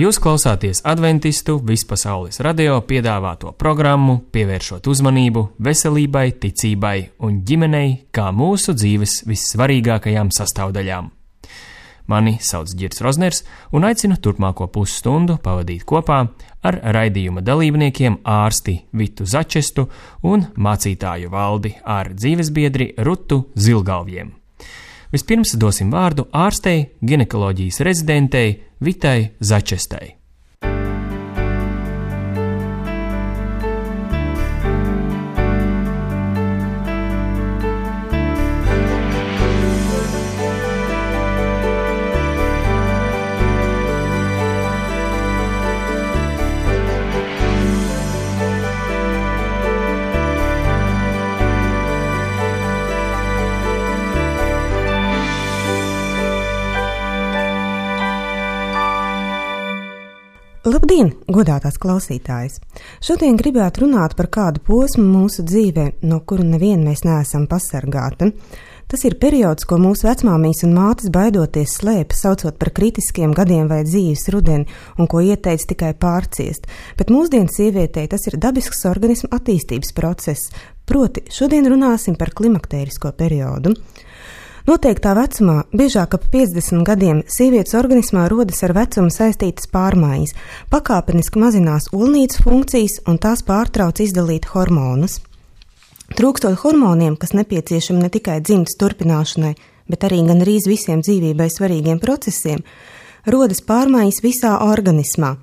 Jūs klausāties Adventistu vispasaules radio piedāvāto programmu, pievēršot uzmanību veselībai, ticībai un ģimenei kā mūsu dzīves vissvarīgākajām sastāvdaļām. Mani sauc Ģirds Rozners un aicinu turpmāko pusstundu pavadīt kopā ar raidījuma dalībniekiem ārsti Vitu Začestu un mācītāju Valdi ar dzīvesbiedri Rutu Zilgalviem. Vispirms dosim vārdu ārstei, ginekoloģijas rezidentei Vitai Začestai. Labdien, godātās klausītājas! Šodien gribētu runāt par kādu posmu mūsu dzīvē, no kura nevien mēs neesam pasargāti. Tas ir periods, ko mūsu vecmāmijas un mātes baidoties slēpa, saucot par kritiskiem gadiem vai dzīves rudeni, un ko ieteica tikai pārciest. Bet mūsdienu sievietei tas ir dabisks organismu attīstības process, proti šodien runāsim par klimaktērisko periodu. Noteiktā vecumā, biežāk ap 50 gadiem, sievietes organismā rodas ar vecumu saistītas pārmaiņas, pakāpeniski mazinās olnīcu funkcijas un tās pārtrauc izdalīt hormonus. Trūkstot hormoniem, kas nepieciešami ne tikai dzimtas turpināšanai, bet arī gandrīz visiem dzīvībai svarīgiem procesiem, rodas pārmaiņas visā organismā.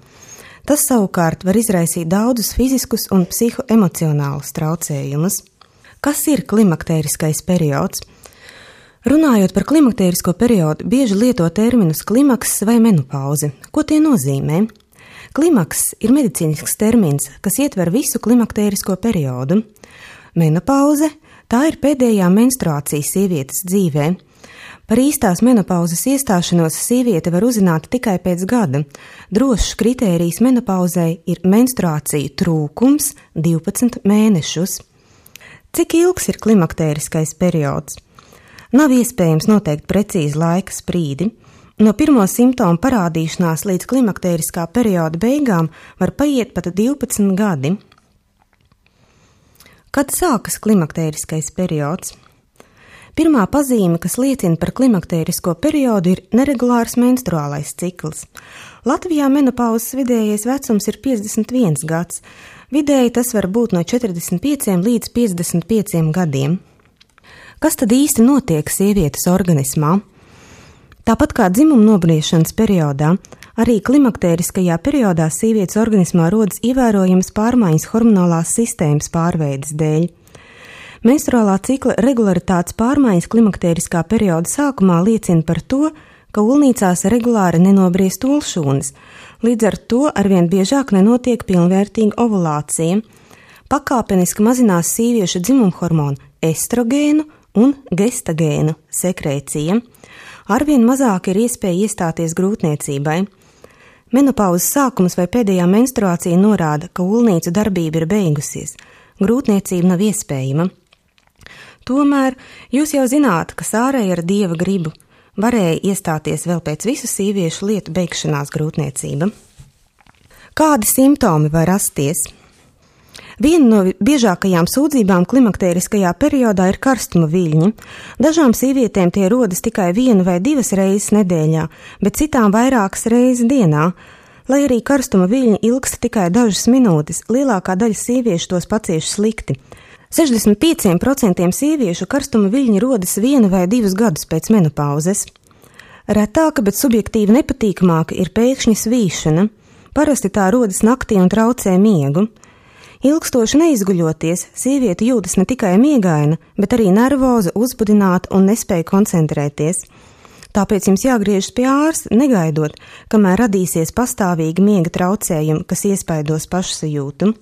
Tas savukārt var izraisīt daudzus fiziskus un psihoemocionālus traucējumus. Kas ir klimaktēriskais periods? Runājot par klimaktērisko periodu, bieži lieto terminus klimaks vai menopauze. Ko tie nozīmē? Klimaks ir medicīnisks termins, kas ietver visu klimaktērisko periodu. Menopauze – tā ir pēdējā menstruācija sievietes dzīvē. Par īstās menopauzes iestāšanos sieviete var uzzināt tikai pēc gada. Drošs kritērijs menopauzei ir menstruāciju trūkums 12 mēnešus. Cik ilgs ir klimaktēriskais periods? Nav iespējams noteikt precīzi laika sprīdi. No pirmo simptomu parādīšanās līdz klimaktēriskā perioda beigām var paiet pat 12 gadi. Kad sākas klimaktēriskais periods? Pirmā pazīme, kas liecina par klimaktērisko periodu, ir neregulārs menstruālais cikls. Latvijā menopauzes vidējais vecums ir 51 gads. Vidēji tas var būt no 45 līdz 55 gadiem. Kas tad īsti notiek sievietes organismā? Tāpat kā dzimuma nobriešanas periodā, arī klimaktēriskajā periodā sievietes organismā rodas ievērojamas pārmaiņas hormonālās sistēmas pārveides dēļ. Menstruālā cikla regularitātes pārmaiņas klimaktēriskā perioda sākumā liecina par to, ka olnīcās regulāri nenobriest olšūnas, līdz ar to arvien biežāk nenotiek pilnvērtīga ovulācija. Pakāpeniski mazinās sieviešu dzimumhormonu estrogēnu un gestagēnu sekrēcija. Arvien mazāk ir iespēja iestāties grūtniecībai. Menopauzes sākums vai pēdējā menstruācija norāda, ka olnīcu darbība ir beigusies. Grūtniecība nav iespējama. Tomēr jūs jau zināt, ka ārēji ar Dieva gribu varēja iestāties vēl pēc visu sieviešu lietu beigšanās grūtniecība. Kādi simptomi var rasties? Viena no biežākajām sūdzībām klimaktēriskajā periodā ir karstuma viļņi. Dažām sievietēm tie rodas tikai 1 vai 2 reizes nedēļā, bet citām vairākas reizes dienā. Lai arī karstuma viļņi ilgst tikai dažas minūtes, lielākā daļa sieviešu tos pacieš slikti. 65% sieviešu karstuma viļņi rodas 1 vai 2 gadus pēc menopauzes. Retāka, bet subjektīvi nepatīkamāka ir pēkšņa svīšana. Parasti tā rodas naktī un traucē miegu. Ilgstoši neizguļoties, sieviete jūtas ne tikai miegaina, bet arī nervoza, uzbudināta un nespēja koncentrēties. Tāpēc jums jāgriežas pie ārsta, negaidot, kamēr radīsies pastāvīgi miega traucējumi, kas iespaidos pašsajūtu.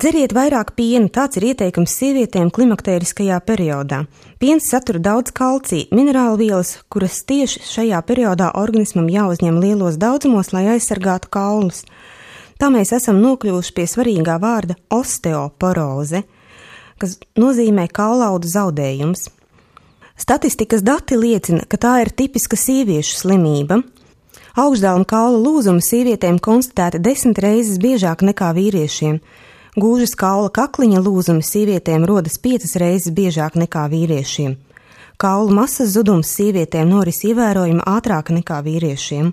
Dzeriet vairāk piena, tāds ir ieteikums sievietēm klimaktēriskajā periodā. Piens satur daudz kalcija, minerālvielas, kuras tieši šajā periodā organismam jāuzņem lielos daudzumos, lai aizsargātu kaulus. Tā mēs esam nokļuvuši pie svarīgā vārda osteoporoze, kas nozīmē kaulaudu zaudējums. Statistikas dati liecina, ka tā ir tipiska sieviešu slimība. Augšdaļuma kaula lūzumi sievietēm konstatēti 10 reizes biežāk nekā vīriešiem. Gūžas kaula kakliņa lūzumi sievietēm rodas 5 reizes biežāk nekā vīriešiem. Kaulu masas zudums sievietēm noris ievērojami ātrāk nekā vīriešiem.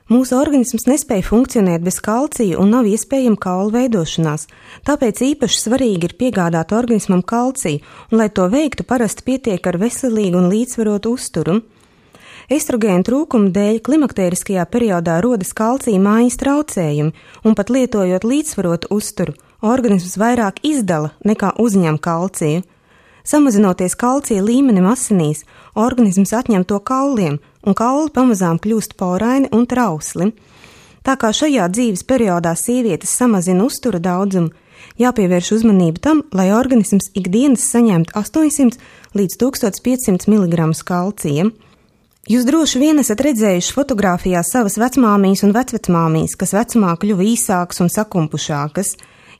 Mūsu organisms nespēja funkcionēt bez kalcija un nav iespējama kaulu veidošanās, tāpēc īpaši svarīgi ir piegādāt organismam kalciju, un, lai to veiktu, parasti pietiek ar veselīgu un līdzsvarotu uzturu. Estrogēnu trūkuma dēļ klimaktēriskajā periodā rodas kalcija mājas traucējumi, un pat lietojot līdzsvarotu uzturu, organisms vairāk izdala nekā uzņem kalciju. Samazinoties kalcija līmenim asinīs, organisms atņem to kauliem, un kauli pamazām kļūst poraini un trausli. Tā kā šajā dzīves periodā sievietes samazina uztura daudzumu, jāpievērš uzmanība tam, lai organisms ikdienas saņemtu 800 līdz 1500 mg kalcija. Jūs droši vien esat redzējuši fotogrāfijā savas vecmāmijas un vecvecmāmijas, kas vecumā kļuva īsākas un sakumpušākas.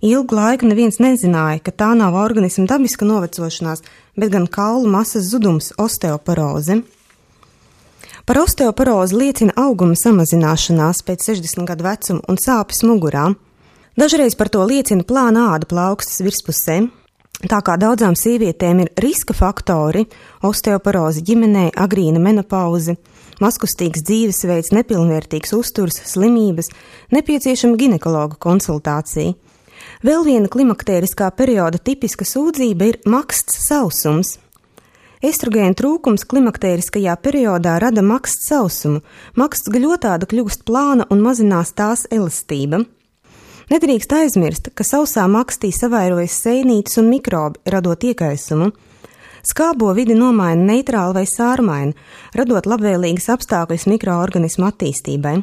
Ilgu laiku neviens nezināja, ka tā nav organisma dabiska novecošanās, bet gan kaulu masas zudums – osteoporoze. Par osteoporozi liecina auguma samazināšanās pēc 60 gadu vecuma un sāpes mugurā. Dažreiz par to liecina plāna āda plaukstas virspusē. Tā kā daudzām sievietēm ir riska faktori – osteoporoze ģimenē, agrīna menopauze, mazkustīgs dzīvesveids, nepilnvērtīgs uzturs, slimības, nepieciešama ginekologa konsultācija. Vēl viena klimaktēriskā perioda tipiska sūdzība ir maksts sausums. Estrogēnu trūkums klimaktēriskajā periodā rada maksts sausumu. Maksts gļotāda kļūst plāna un mazinās tās elastība. Nedrīkst aizmirst, ka sausā makstī savairojas sēnītes un mikrobi, radot iekaisumu. Skābo vidi nomaina neitrāli vai sārmaina, radot labvēlīgas apstākļus mikroorganismu attīstībai.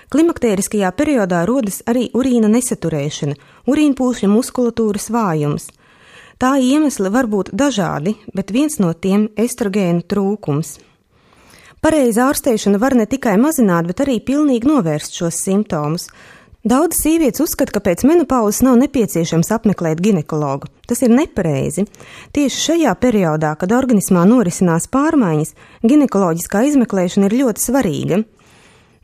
Klimaktēriskajā periodā rodas arī urīna nesaturēšana, urīnpūšļa muskulatūras vājums. Tā iemesli var būt dažādi, bet viens no tiem – estrogēnu trūkums. Pareiza ārstēšana var ne tikai mazināt, bet arī pilnīgi novērst šos simptomus. Daudz sievietes uzskata, ka pēc menopauzes nav nepieciešams apmeklēt ginekologu. Tas ir nepareizi. Tieši šajā periodā, kad organismā norisinās pārmaiņas, ginekoloģiskā izmeklēšana ir ļoti svarīga.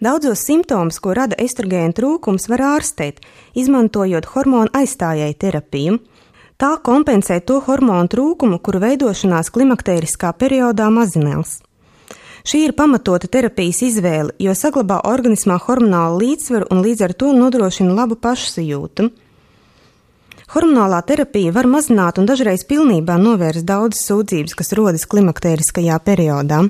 Daudzos simptomus, ko rada estrogēnu trūkums, var ārstēt, izmantojot hormonu aizstājēju terapiju. Tā kompensē to hormonu trūkumu, kuru veidošanās klimaktēriskā periodā mazinās. Šī ir pamatota terapijas izvēle, jo saglabā organismā hormonālu līdzsvaru un līdz ar to nodrošina labu pašsajūtu. Hormonālā terapija var mazināt un dažreiz pilnībā novērst daudzas sūdzības, kas rodas klimaktēriskajā periodā.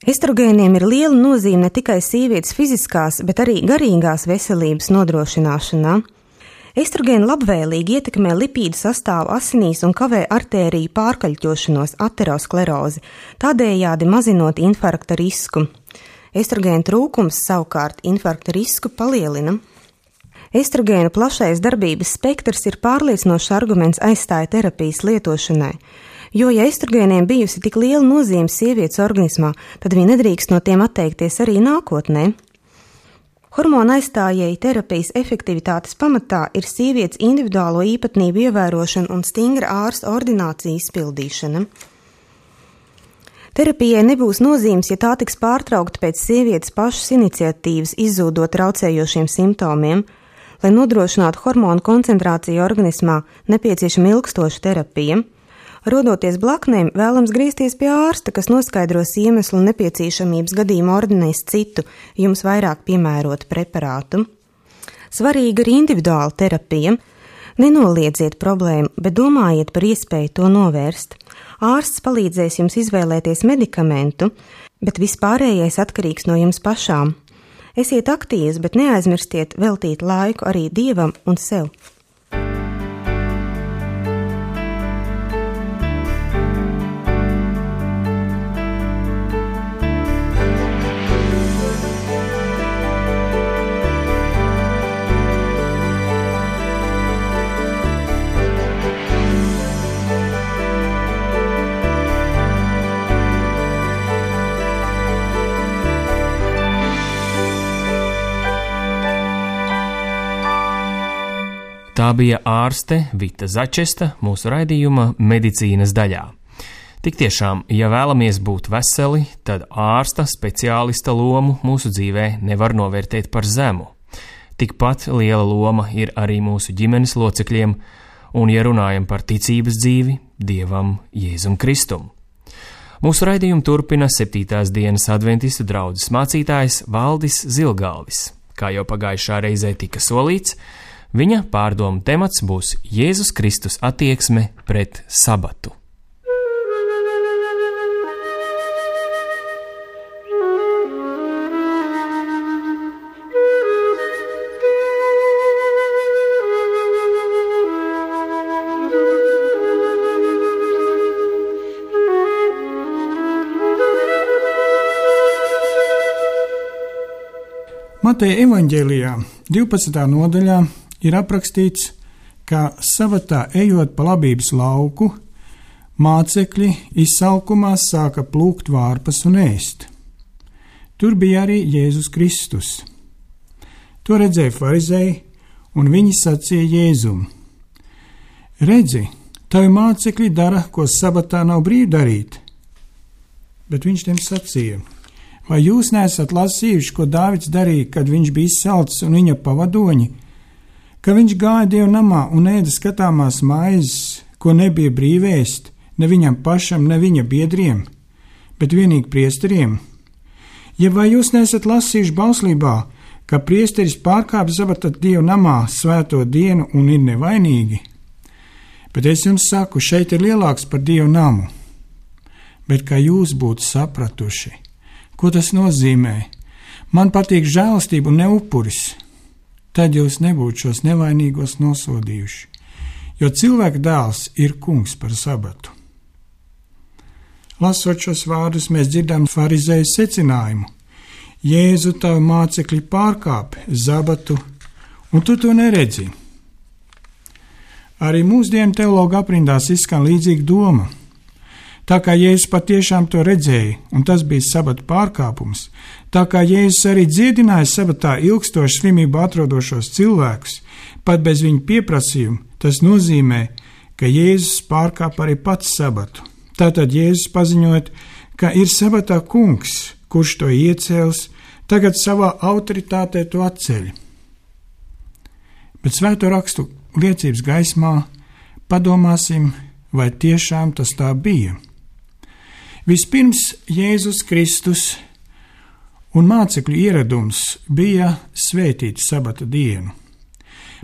Estrogēniem ir liela nozīme ne tikai sievietes fiziskās, bet arī garīgās veselības nodrošināšanā. Estrogēni labvēlīgi ietekmē lipīdu sastāvu asinīs un kavē artēriju pārkaļķošanos, aterosklerozi, tādējādi mazinot infarkta risku. Estrogēnu trūkums savukārt infarkta risku palielina. Estrogēnu plašais darbības spektrs ir pārliecinošs arguments aizstāja terapijas lietošanai. Jo, ja estrogēniem bijusi tik liela nozīme sievietes organismā, tad viņi nedrīkst no tiem atteikties arī nākotnē. Hormona aizstājēju terapijas efektivitātes pamatā ir sievietes individuālo īpatnību ievērošana un stingra ārsta ordinācija izpildīšana. Terapijai nebūs nozīmes, ja tā tiks pārtraukta pēc sievietes pašas iniciatīvas izzūdot traucējošiem simptomiem. Lai nodrošinātu hormonu koncentrāciju organismā, nepieciešama ilgstoša terapija. Rodoties blaknēm, vēlams griezties pie ārsta, kas noskaidros iemeslu un nepieciešamības gadījumā ordinēs citu, jums vairāk piemērotu preparātu. Svarīga ir individuāla terapija. Nenoliedziet problēmu, bet domājiet par iespēju to novērst. Ārsts palīdzēs jums izvēlēties medikamentu, bet vispārējais atkarīgs no jums pašām. Esiet aktīvs, bet neaizmirstiet veltīt laiku arī Dievam un sev. Tā bija ārste Vita Začesta mūsu raidījuma medicīnas daļā. Tik tiešām, ja vēlamies būt veseli, tad ārsta speciālista lomu mūsu dzīvē nevar novērtēt par zemu. Tikpat liela loma ir arī mūsu ģimenes locekļiem, un, ja runājam par ticības dzīvi, Dievam Jēzum Kristum. Mūsu raidījumu turpina 7. dienas adventistu draudzes mācītājs Valdis Zilgalvis. Kā jau pagājušā reizē tika solīts, viņa pārdomu temats būs Jēzus Kristus attieksme pret sabatu. Mateja evaņģēlijā 12. nodaļā ir aprakstīts, ka sabatā ejot pa labības lauku, mācekļi izsalkumā sāka plūkt vārpas un ēst. Tur bija arī Jēzus Kristus. To redzēja farizēji, un viņi sacīja Jēzum: Redzi, tavi mācekļi dara, ko sabatā nav brīvi darīt. Bet viņš tiem sacīja: Vai jūs neesat lasījuši, ko Dāvids darīja, kad viņš bija izsalcis un viņa pavadoņi? Ka viņš gāja Dieva namā un ēda skatāmās maizes, ko nebija brīvēst, ne viņam pašam, ne viņa biedriem, bet vienīgi priesteriem? Ja vai jūs neesat lasījuši bauslībā, ka priesteris pārkāp sabata Dieva namā svēto dienu un ir nevainīgi? Bet es jums saku, šeit ir lielāks par Dieva namu. Bet kā jūs būtu sapratuši, ko tas nozīmē? Man patīk žēlastība un ne upuris. Tad jūs nebūtu šos nevainīgos nosodījuši, jo cilvēka dēls ir kungs par sabatu. Lasot šos vārdus, mēs dzirdam farizēju secinājumu: Jēzu, tavi mācekļi pārkāp sabatu, un tu to neredzi. Arī mūsdienu teologu aprindās izskan līdzīga doma. Tā kā Jēzus patiešām to redzēja, un tas bija sabata pārkāpums, tā kā Jēzus arī dziedināja sabatā ilgstošu slimību atrodošos cilvēkus, pat bez viņa pieprasījuma, tas nozīmē, ka Jēzus pārkāp arī pats sabatu. Tātad Jēzus paziņot, ka ir sabatā kungs, kurš to iecēls, tagad savā autoritātē to atceļ. Bet svēto rakstu liecības gaismā padomāsim, vai tiešām tas tā bija. Vispirms Jēzus Kristus un mācekļu ieradums bija svētīt sabata dienu.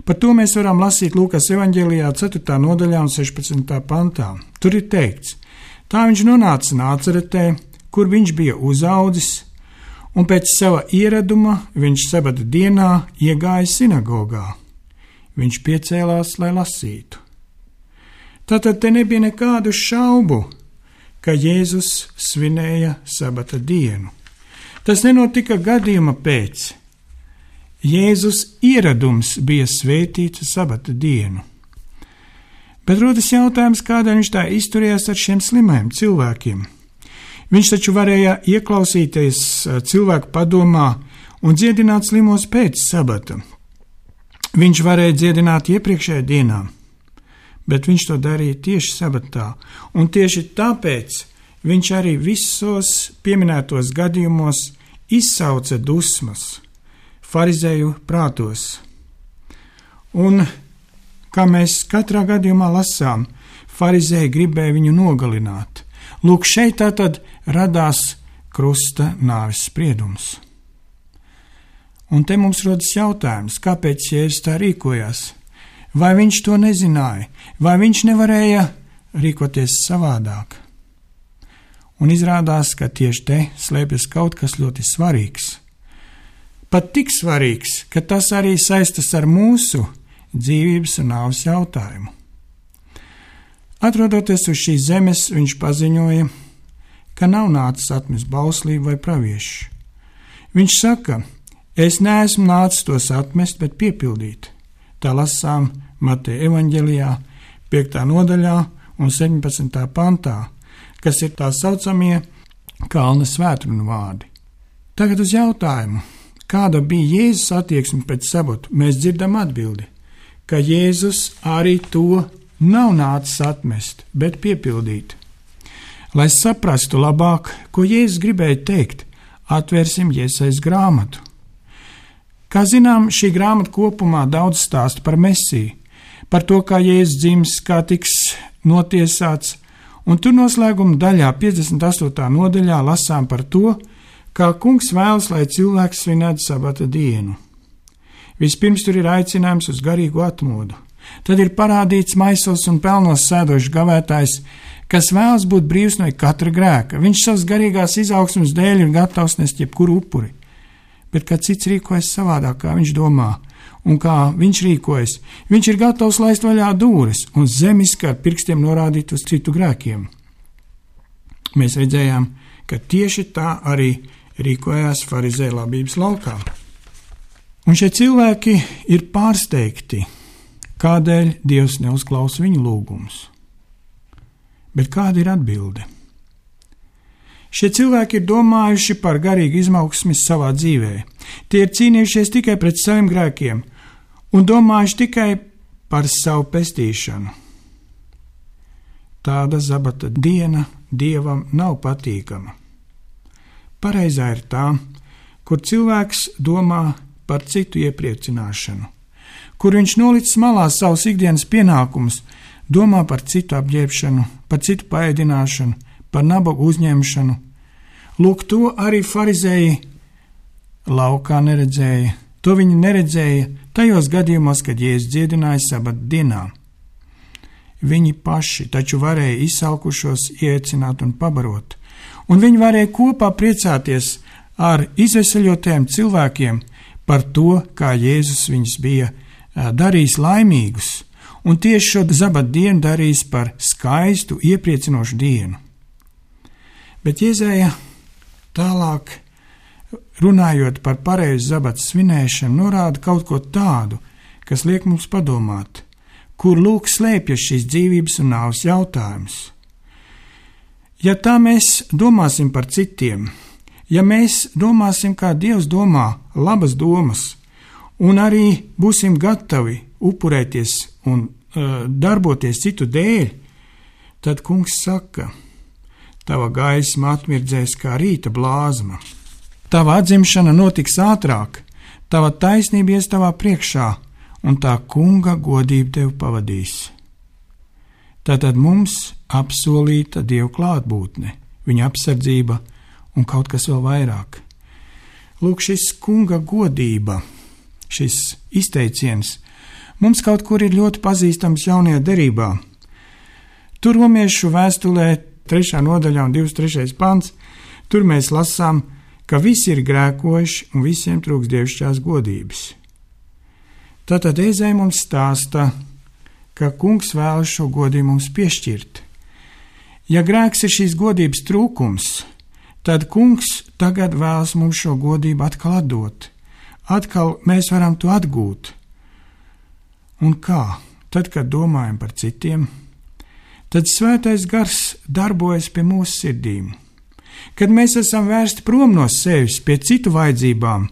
Par to mēs varam lasīt Lūkas evaņģēlijā 4. nodaļā un 16. pantā. Tur ir teikts: tā viņš nonāca Nācaretē, kur viņš bija uzaudzis, un pēc sava ieraduma viņš sabata dienā iegāja sinagogā. Viņš piecēlās, lai lasītu. Tātad te nebija nekādu šaubu, ka Jēzus svinēja sabata dienu. Tas nenotika gadījuma pēc. Jēzus ieradums bija svētīt sabata dienu. Bet rodas jautājums, kādēļ viņš tā izturējās ar šiem slimajiem cilvēkiem. Viņš taču varēja ieklausīties cilvēku padomā un dziedināt slimos pēc sabata. Viņš varēja dziedināt iepriekšējā dienā, bet viņš to darīja tieši sabatā, un tieši tāpēc viņš arī visos pieminētos gadījumos izsauca dusmas farizēju prātos. Un, kā mēs katrā gadījumā lasām, farizēji gribēja viņu nogalināt. Lūk, šeit tātad radās krusta nāves spriedums. Un te mums rodas jautājums, kāpēc Jēzus tā rīkojās? Vai viņš to nezināja, vai viņš nevarēja rīkoties savādāk? Un izrādās, ka tieši te slēpjas kaut kas ļoti svarīgs. Pat tik svarīgs, ka tas arī saistas ar mūsu dzīvības un nāves jautājumu. Atrodoties uz šīs zemes, viņš paziņoja, ka nav nācis atmest bauslību vai praviešu. Viņš saka: es neesmu nācis tos atmest, bet piepildīt. Tā lasām Mateja evaņģēlijā 5. nodaļā un 17. pantā, kas ir tā saucamie kalna svētkrunu vārdi. Tagad uz jautājumu, kāda bija Jēzus attieksme pēc sabata, mēs dzirdam atbildi, ka Jēzus arī to nav nācis atmest, bet piepildīt. Lai saprastu labāk, ko Jēzus gribēja teikt, atvērsim Jesajas grāmatu. Kā zinām, šī grāmata kopumā daudz stāsta par Mesiju, par to, kā Jēzus dzims, kā tiks notiesāts, un tur noslēguma daļā, 58. nodaļā, lasām par to, kā kungs vēlas, lai cilvēks svinētu sabata dienu. Vispirms tur ir aicinājums uz garīgu atmodu. Tad ir parādīts maisos un pelnos sēdošs gavētājs, kas vēlas būt brīvs no katra grēka. Viņš savas garīgās izaugsmes dēļ ir gatavs nest jebkuru upuri. Bet kā cits rīkojas savādāk, kā viņš domā, un kā viņš rīkojas, viņš ir gatavs laist vaļā dūres un zemiski ar pirkstiem norādīt uz citu grēkiem. Mēs redzējām, ka tieši tā arī rīkojās farizēju labības laukā. Un šie cilvēki ir pārsteigti, kādēļ Dievs neuzklausa viņu lūgumus. Bet kāda ir atbilde? Šie cilvēki ir domājuši par garīgu izaugsmi savā dzīvē. Tie ir cīnījušies tikai pret saviem grēkiem un domājuši tikai par savu pestīšanu. Tāda sabata diena Dievam nav patīkama. Pareizā ir tā, kur cilvēks domā par citu iepriecināšanu, kur viņš nolicis malā savus ikdienas pienākumus, domā par citu apģērbšanu, par citu paēdināšanu, par nabagu uzņemšanu. Lūk, to arī farizēji laukā neredzēja. To viņi neredzēja tajos gadījumos, kad Jēzus dziedināja sabata dienā. Viņi paši taču varēja izsalkušos iecināt un pabarot, un viņi varēja kopā priecāties ar izveseļotiem cilvēkiem par to, kā Jēzus viņus bija darījis laimīgus, un tieši šo sabata dienu darījis par skaistu, iepriecinošu dienu. Bet Jēzeja tālāk, runājot par pareizu sabata svinēšanu, norāda kaut ko tādu, kas liek mums padomāt, kur lūk slēpjas šīs dzīvības un nāves jautājums. Ja tā mēs domāsim par citiem, ja mēs domāsim, kā Dievs domā labas domas, un arī būsim gatavi upurēties un darboties citu dēļ, tad kungs saka, tava gaisma atmirdzēs kā rīta blāzma, tava atzimšana notiks ātrāk, tava taisnība ies tavā priekšā, un tā kunga godība tevi pavadīs. Tātad mums apsolīta Dieva klātbūtne, viņa apsardzība un kaut kas vēl vairāk. Lūk, šis kunga godība, šis izteiciens, mums kaut kur ir ļoti pazīstams jaunajā derībā. Tur Romiešu vēstulē 3. nodaļā un 23. pants, tur mēs lasām, ka visi ir grēkojuši un visiem trūks dievišķās godības. Tātad Ēzai mums stāsta, ka kungs vēlas šo godību mums piešķirt. Ja grēks ir šīs godības trūkums, tad kungs tagad vēlas mums šo godību atkal atdot. Atkal mēs varam to atgūt. Un kā? Tad, kad domājam par citiem, tad svētais gars darbojas pie mūsu sirdīm. Kad mēs esam vērsti prom no sevis pie citu vajadzībām,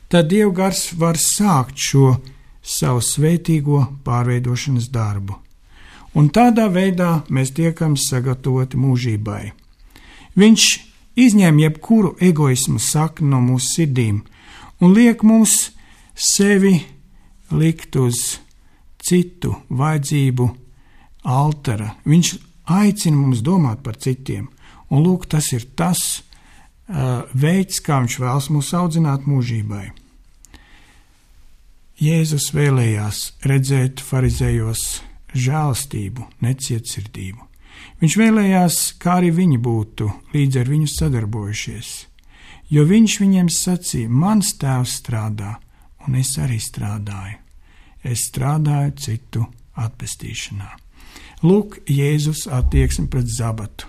tad Dieva gars var sākt šo savu svētīgo pārveidošanas darbu. Un tādā veidā mēs tiekam sagatavoti mūžībai. Viņš izņem jebkuru egoismu sakni no mūsu sirdīm un liek mums sevi likt uz citu vajadzību altara. Viņš aicina mums domāt par citiem, un lūk, tas ir tas veids, kā viņš vēlas mūs audzināt mūžībai. Jēzus vēlējās redzēt farizējos žēlastību, necietsirdību. Viņš vēlējās, kā arī viņi būtu līdz ar viņu sadarbojušies, jo viņš viņiem sacīja, mans tēvs strādā, un es arī strādāju. Es strādāju citu atpestīšanā. Lūk, Jēzus attieksme pret sabatu.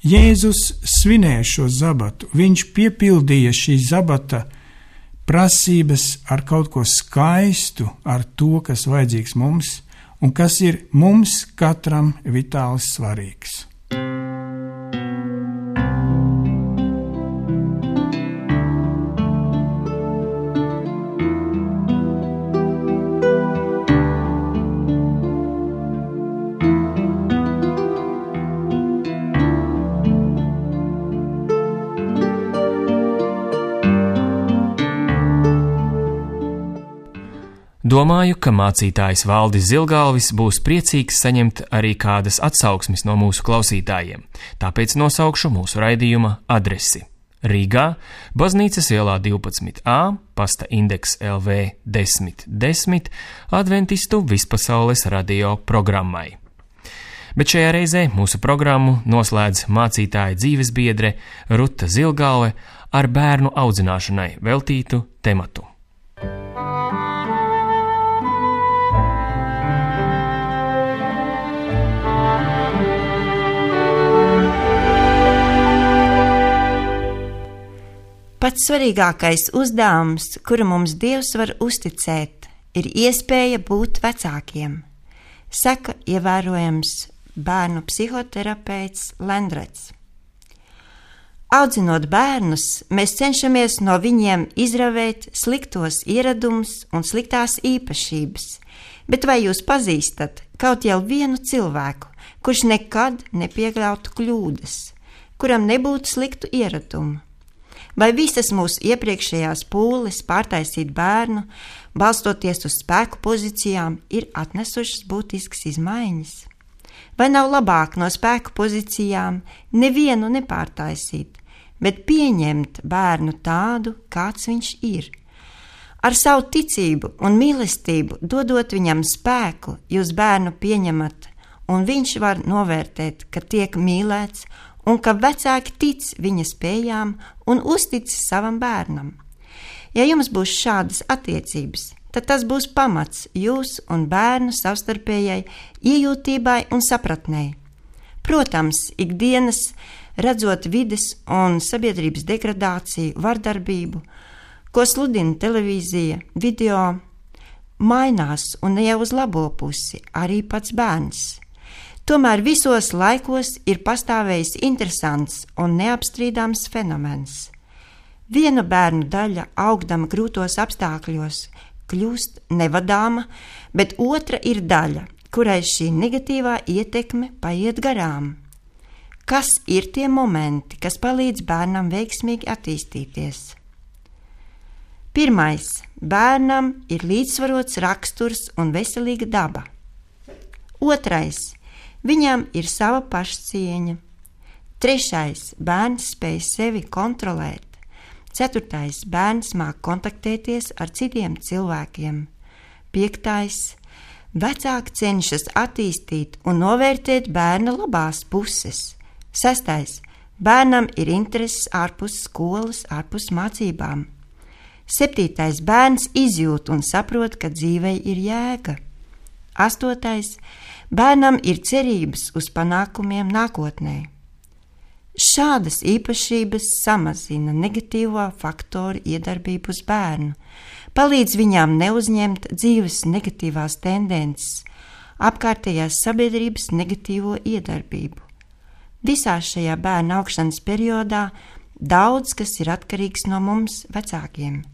Jēzus svinēja šo sabatu, viņš piepildīja šī sabata prasības ar kaut ko skaistu, ar to, kas vajadzīgs mums, un kas ir mums katram vitāli svarīgs. Domāju, ka mācītājs Valdis Zilgalvis būs priecīgs saņemt arī kādas atsauksmes no mūsu klausītājiem, tāpēc nosaukšu mūsu raidījuma adresi. Rīgā, Baznīcas ielā 12a, pasta indeks LV 1010, Adventistu vispasaules radio programmai. Bet šajā reizē mūsu programmu noslēdz mācītāja dzīvesbiedre Ruta Zilgalve ar bērnu audzināšanai veltītu tematu. Pats svarīgākais uzdevums, kuru mums Dievs var uzticēt, ir iespēja būt vecākiem, saka ievērojams bērnu psihoterapeits Lendrets. Audzinot bērnus, mēs cenšamies no viņiem izravēt sliktos ieradumus un sliktās īpašības, bet vai jūs pazīstat kaut jau vienu cilvēku, kurš nekad nepieļautu kļūdas, kuram nebūtu sliktu ieradumu? Vai visas mūsu iepriekšējās pūles pārtaisīt bērnu, balstoties uz spēku pozīcijām, ir atnesušas būtiskas izmaiņas? Vai nav labāk no spēku pozīcijām nevienu nepārtaisīt, bet pieņemt bērnu tādu, kāds viņš ir? Ar savu ticību un mīlestību dodot viņam spēku, jūs bērnu pieņemat, un viņš var novērtēt, ka tiek mīlēts, un ka vecāki tic viņa spējām un uztic savam bērnam. Ja jums būs šādas attiecības, tad tas būs pamats jūs un bērnu savstarpējai iejūtībai un sapratnei. Protams, ikdienas redzot vides un sabiedrības degradāciju, vardarbību, ko sludina televīzija, video, mainās un ne jau uz labo pusi arī pats bērns. Tomēr visos laikos ir pastāvējis interesants un neapstrīdāms fenomens. Viena bērnu daļa, augdama grūtos apstākļos, kļūst nevadāma, bet otra ir daļa, kurai šī negatīvā ietekme paiet garām. Kas ir tie momenti, kas palīdz bērnam veiksmīgi attīstīties? Pirmais, bērnam ir līdzsvarots raksturs un veselīga daba. Otrais, viņam ir sava pašcieņa. Trešais, bērns spēj sevi kontrolēt. Ceturtais, bērns māk kontaktēties ar citiem cilvēkiem. Piektais, vecāki cenšas attīstīt un novērtēt bērna labās puses. Sestais, bērnam ir intereses ārpus skolas, ārpus mācībām. Septītais, bērns izjūt un saprot, ka dzīvei ir jēga. Astotais, bērnam ir cerības uz panākumiem nākotnē. Šādas īpašības samazina negatīvo faktoru iedarbību uz bērnu, palīdz viņām neuzņemt dzīves negatīvās tendences, apkārtējās sabiedrības negatīvo iedarbību. Visā šajā bērna augšanas periodā daudz kas ir atkarīgs no mums vecākiem.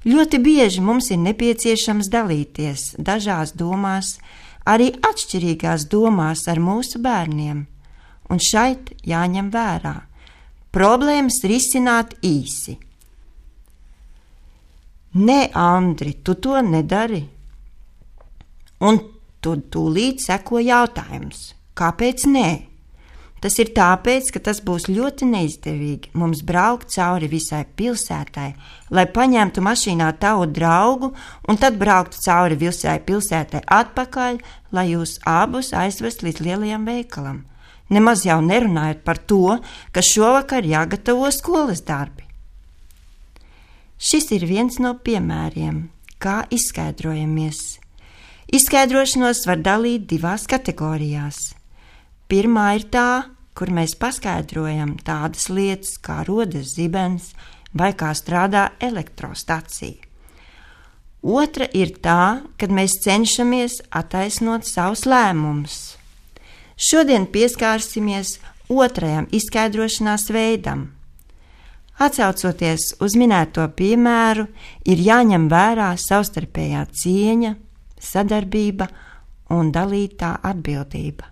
Ļoti bieži mums ir nepieciešams dalīties dažās domās, arī atšķirīgās domās ar mūsu bērniem, un šeit jāņem vērā problēmas risināt īsi. Nē, Andri, tu to nedari. Un tu tūlīt seko jautājums, kāpēc nē? Tas ir tāpēc, ka tas būs ļoti neizdevīgi mums braukt cauri visai pilsētai, lai paņemtu mašīnā tavu draugu un tad brauktu cauri visai pilsētai atpakaļ, lai jūs abus aizvest līdz lielajam veikalam. Nemaz jau nerunājot par to, ka šovakar jāgatavo skolas darbi. Šis ir viens no piemēriem, kā izskaidrojamies. Izskaidrošanos var dalīt divās kategorijās. Pirmā ir tā, kur mēs paskaidrojam tādas lietas, kā rodas zibens vai kā strādā elektrostacija. Otra ir tā, kad mēs cenšamies attaisnot savus lēmumus. Šodien pieskārsimies otrajam izskaidrošanās veidam. Atsaucoties uz minēto piemēru, ir jāņem vērā savstarpējā cieņa, sadarbība un dalītā atbildība.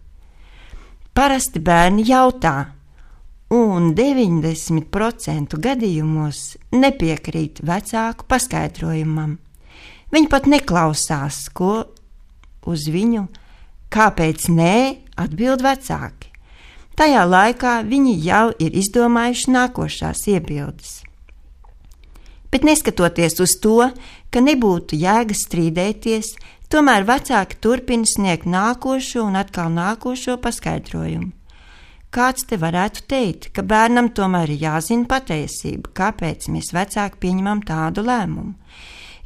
Parasti bērni jautā, un 90% gadījumos nepiekrīt vecāku paskaidrojumam. Viņi pat neklausās, ko uz viņu kāpēc nē atbild vecāki. Tajā laikā viņi jau ir izdomājuši nākošās iebildes. Bet neskatoties uz to, ka nebūtu jēgas strīdēties, tomēr vecāki turpina sniegt nākošo un atkal nākošo paskaidrojumu. Kāds te varētu teikt, ka bērnam tomēr ir jāzina patiesība, kāpēc mēs vecāki pieņemam tādu lēmumu?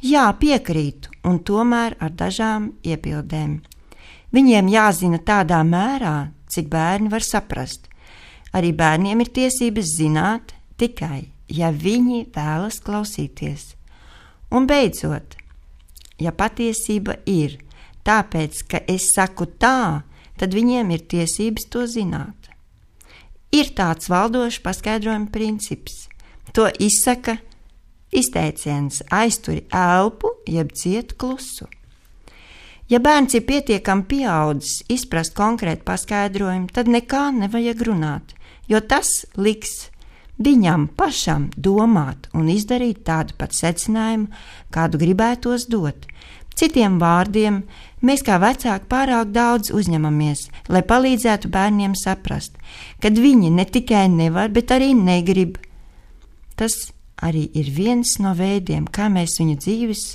Jā, piekrītu, un tomēr ar dažām iebildēm. Viņiem jāzina tādā mērā, cik bērni var saprast. Arī bērniem ir tiesības zināt tikai, ja viņi vēlas klausīties. Un beidzot, ja patiesība ir tāpēc, ka es saku tā, tad viņiem ir tiesības to zināt. Ir tāds valdošs paskaidrojuma princips. To izsaka izteiciens aizturi elpu, jeb ciet klusu. Ja bērns ir pietiekami pieaudzis izprast konkrētu paskaidrojumu, tad nekā nevajag runāt, jo tas liks viņam pašam domāt un izdarīt tādu pat secinājumu, kādu gribētos dot. Citiem vārdiem, mēs kā vecāki pārāk daudz uzņemamies, lai palīdzētu bērniem saprast, kad viņi ne tikai nevar, bet arī negrib. Tas arī ir viens no veidiem, kā mēs viņu dzīves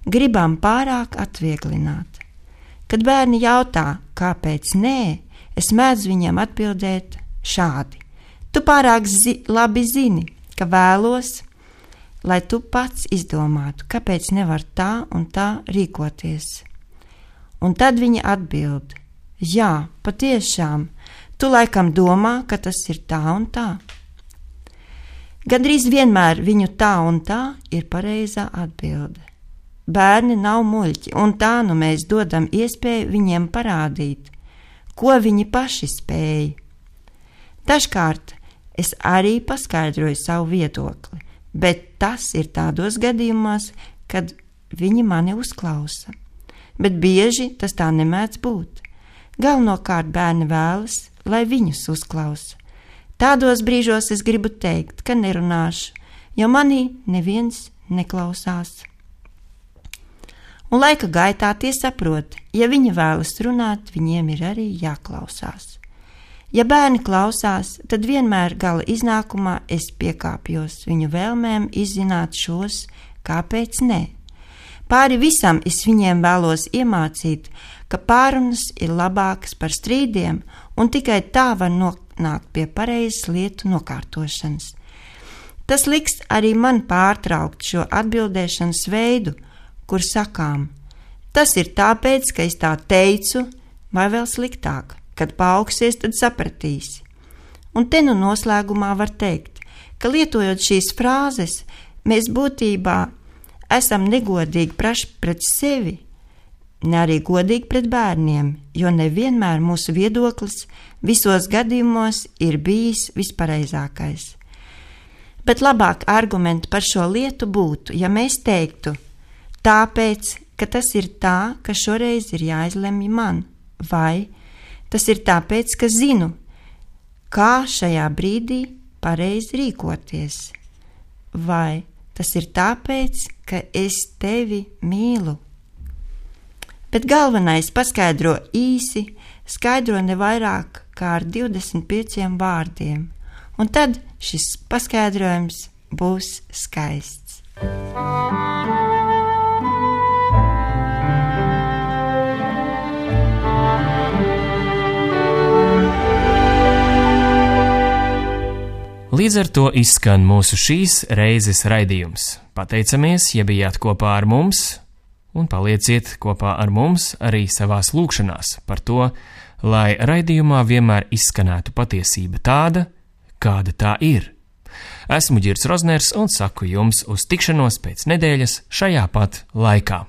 gribam pārāk atvieglināt. Kad bērni jautā, kāpēc nē, es mēdzu viņiem atbildēt šādi. Tu pārāk labi zini, ka vēlos, lai tu pats izdomātu, kāpēc nevar tā un tā rīkoties. Un tad viņi atbild, jā, patiešām, tu laikam domā, ka tas ir tā un tā. Gandrīz vienmēr viņu tā un tā ir pareizā atbilde. Bērni nav muļķi, un tā nu mēs dodam iespēju viņiem parādīt, ko viņi paši spēj. Dažkārt es arī paskaidroju savu viedokli, bet tas ir tādos gadījumos, kad viņi mani uzklausa. Bet bieži tas tā nemēdz būt. Galvenokārt bērni vēlas, lai viņus uzklausa. Tādos brīžos es gribu teikt, ka nerunāšu, jo manī neviens neklausās. Un laika gaitā tie saprot, ja viņi vēlas runāt, viņiem ir arī jāklausās. Ja bērni klausās, tad vienmēr gala iznākumā es piekāpjos viņu vēlmēm izzināt šos, kāpēc nē. Pāri visam es viņiem vēlos iemācīt, ka pārunas ir labākas par strīdiem, un tikai tā var nonākt pie pareizas lietu nokārtošanas. Tas liks arī man pārtraukt šo atbildēšanas veidu, kur sakām, tas ir tāpēc, ka es tā teicu, vai vēl sliktāk, kad paaugsies, tad sapratīsi. Un te nu noslēgumā var teikt, ka lietojot šīs frāzes, mēs būtībā esam negodīgi paši pret sevi, ne arī godīgi pret bērniem, jo nevienmēr mūsu viedoklis visos gadījumos ir bijis vispareizākais. Bet labāk argumenti par šo lietu būtu, ja mēs teiktu, tāpēc, ka tas ir tā, ka šoreiz ir jāizlemj man, vai tas ir tāpēc, ka zinu, kā šajā brīdī pareizi rīkoties, vai tas ir tāpēc, ka es tevi mīlu. Bet galvenais paskaidro īsi, skaidro ne vairāk kā ar 25 vārdiem, un tad šis paskaidrojums būs skaists. Līdz ar to izskan mūsu šīs reizes raidījums. Pateicamies, ja bijāt kopā ar mums, un palieciet kopā ar mums arī savās lūkšanās par to, lai raidījumā vienmēr izskanētu patiesība tāda, kāda tā ir. Esmu Ģirds Rozners un saku jums uz tikšanos pēc nedēļas šajā pat laikā.